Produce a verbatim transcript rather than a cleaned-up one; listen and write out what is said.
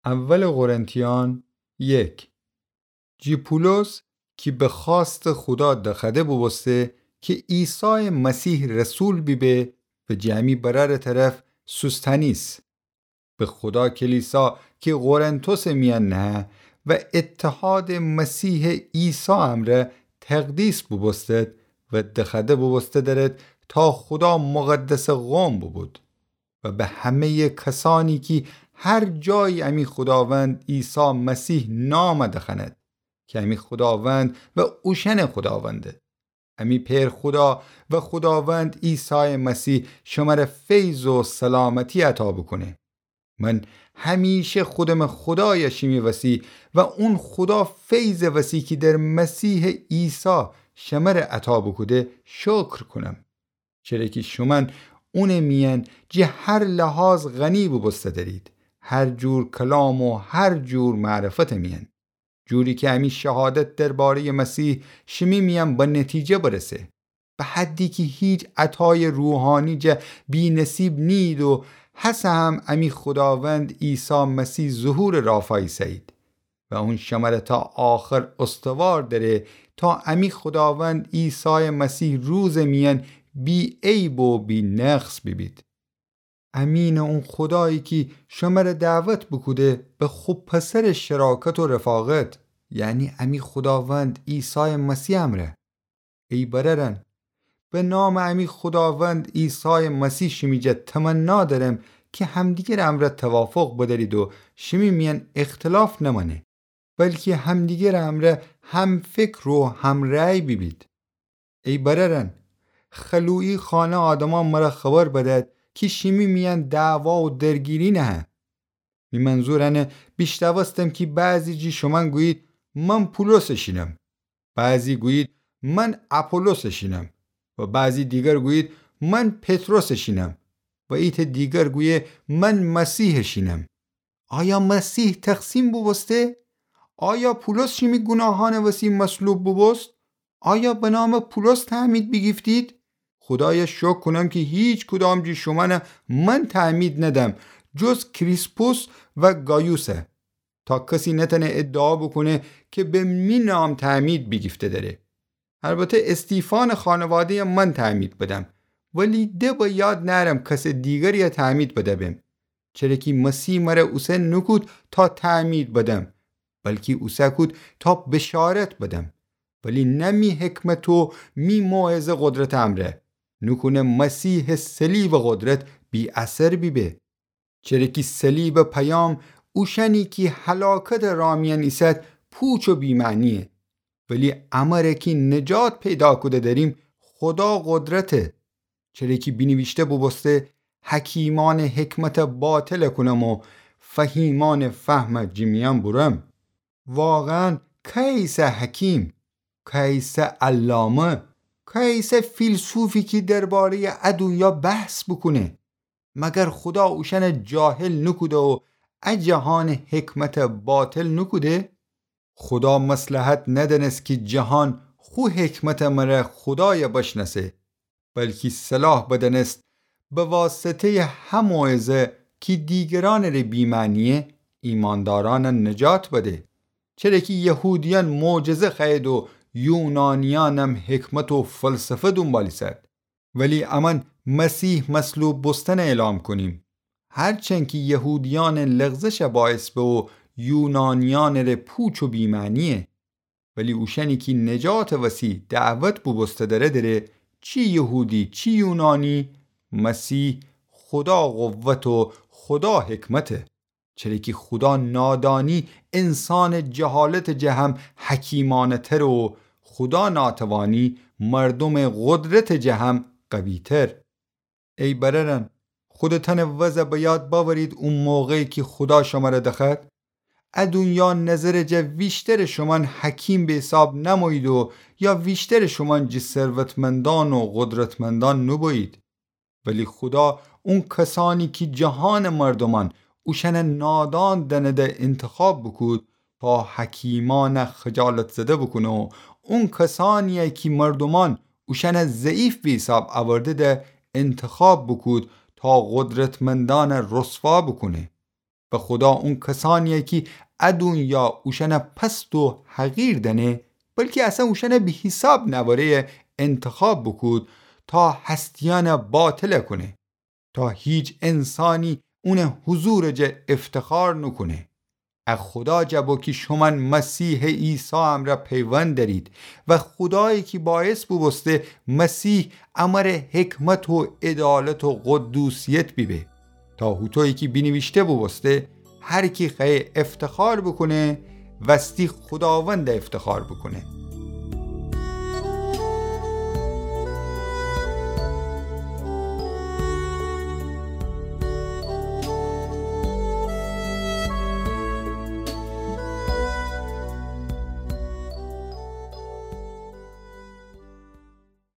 اول قرنتیان یک. جی پولس کی به خوأستٚ خودا دخوأده بوبوسته کی عیسایٚ مسیح رسول بیبه و جی امی برأرٚ طرف سوستنیس. به خودا کلیسا کی قرنتوسٚ میأن نهه و اتحادٚ مسیحٚ عیسی امرأ تقدیس بوبوستد و دخوأده بوبوسته دأرد تا خودا مقدسٚ قوم بوبود. و به همه‌یٚ کسأنی کی هر جایی امی خوداوند عیسی مسیح نام دخوأند کی امی خوداوند و اوشأنٚ خوداونده. امی پئر خودا و خوداوند عیسایٚ مسیح شمر فیض و سلامتی عطا بوکونه. من همیشه خودمٚ خودای شیمی وسی و اون خودا فیضٚ وسی کی در مسیحٚ عیسی شمر عطا بوکوده شکر کونم. چره کی شومأن اونٚ میأن جی هر لحاظ غنی بوبوسته دأرید، هر جور کلام و هر جور معرفتٚ میأن، جوری کی امی شهادت درباره‌یٚ مسیح شیمی میأن به نتیجه برسه، به حدی کی هیچ عطایٚ روحانی جا بی‌نصیب نیید و هسه هم امی خوداوند عیسی مسیح ظهورٚ رافا ایسه‌یید. و اون شمر تا آخر استوار دأره تا امی خوداوند عیسایٚ مسیح روزٚ میأن بی‌عیب و بی‌نقص بیبید. امینٚ اون خودایی کی شمر دعوت بوکوده به خو پسرٚ شراکت و رفاقت، یعنی امی خوداوند عیسایٚ مسیح امرأ. ای برأرأن، به نامٚ امی خوداوند عیسایٚ مسیح شیمی جا تمنا دأرم کی همدیگرٚ امرأ توافق بدأرید و شیمی میأن اختلاف نمأنه، بلکی همدیگرٚ امرأ همفکر و همرأی بیبید. ای برأرأن، خلویی خانه آدمأن مر خبر بدأد کی شیمی میأن دعوا و درگیری نهه. می منظور انه بیشنوستم کی بعضی جی شومأن گویید من پولسٚ شینم، بعضی گویید من اپولوسٚ شینم و بعضی دیگر گویید من پطرسٚ شینم و ایتأ دیگر گویه من مسیحٚ شینم. آیا مسیح تقسیم بوبوسته؟ آیا پولس شیمی گوناهأنٚ وسی مصلوب بوبوست؟ آیا به نامٚ پولس تعمید بیگیفتید؟ خودای شکر کونم کی هیچ کدام جی شومأن من تعمید ندم، جز کریسپوس و گایوسه، تا کسی نتأنه ادعا بوکونه کی به می نام تعمید بیگیفته دأره. البته استیفانٚ خانواده‌ی من تعمید بدم، ولی ده به یاد نأرم کسٚ دیگری تعمید بدبم. چره کی مسیح مر اوسه نوکود تا تعمید بدم، بلکی اوسه کود تا بشارت بدم. ولی نه می حکمت و می موعظه قدرتٚ امرأ، نوکونه مسیحٚ صلیبٚ قدرت بی‌اثر بیبه. چره کی صلیبٚ پیام اوشأنی کی هلاکتٚ رأ میأن ایسد پوچ و بی‌معنیه، ولی امر کی نجات پیدا کوده دأریم خودا قدرته. چره کی بینیویشته بوبوسته حکیمأنٚ حکمت باطل کونم و فهیمأنٚ فهم جی میأن بورم. واقعاً کئیسه حکیم، کئیسه علامه، کئیسه فیلسوفی کی درباره‌یٚ ا دونیا بحث بوکونه؟ مگر خودا اوشأن جاهل نوکوده و ا جهان حکمت باطل نوکوده؟ خودا مصلحت ندأنست کی جهان خو حکمت مر خودای بشنأسه، بلکی صلاح بدأنست به واسطه‌یٚ ه موعظه کی دیگرأنٚ ره بی‌معنیه، ایماندارأن نجات بده. چره کی یهودیأن معجزه خوأیید و یونانیأنم حکمت و فلسفه دونبال ایسد. ولی امأن مسیح مصلوب بوستن اعلام کونیم، هرچند کی یهودیأنٚ لغزش باعث به و یونانیأنٚ ره پوچ و بی‌معنیه. ولی اوشأنی کی نجاتٚ وسی دعوت بوبوسته دره دره، چی یهودی چی یونانی، مسیح خودا قوت و خودا حکمته. چره کی خودا نادانی انسانٚ جهالتٚ جه هم حکیمانه‌تره و خودا ناتوانی مردومٚ قدرتٚ جه هم قوی‌تر. ای برأرأن، خودتأنٚ وضع به یاد بأورید او موقعی کی خودا شمر دخوأد. ا دونیا نظرٚ جا ویشترٚ شومأن حکیم به حساب نأمویید و یا ویشترٚ شومأن جی ثروتمندأن و قدرتمندأن نوبویید. ولی خودا اون کسأنی کی جهانٚ مردومأن اوشأن نادان دأنده انتخاب بوکود تا حکیمأن خجالت‌زده بوکونه و اون کسأنی کی مردومأن اوشأن ضعیف به حساب اورده‌ده انتخاب بوکود تا قدرتمندأن رسوا بوکونه. و خودا اون کسأنیی کی ا دونیا اوشأن پست و حقیر دأنه، بلکی اصلاً اوشأن بی‌حیساب نواره‌یی انتخاب بوکود تا هستیأن باطل کونه، تا هیچ انسانی اون حضور جا افتخار نوکونه. ا خودا جا بو کی شومأن مسیح عیسی امرأ پیوند دأرید و خودایی کی باعث بوبوسته مسیح امر حکمت و عدالت و قدوسیت بیبه، تا هوطویی کی بینیویشته بوبوسته: هر کی خوأیه افتخار بوکونه، وستی خوداوند افتخار بوکونه.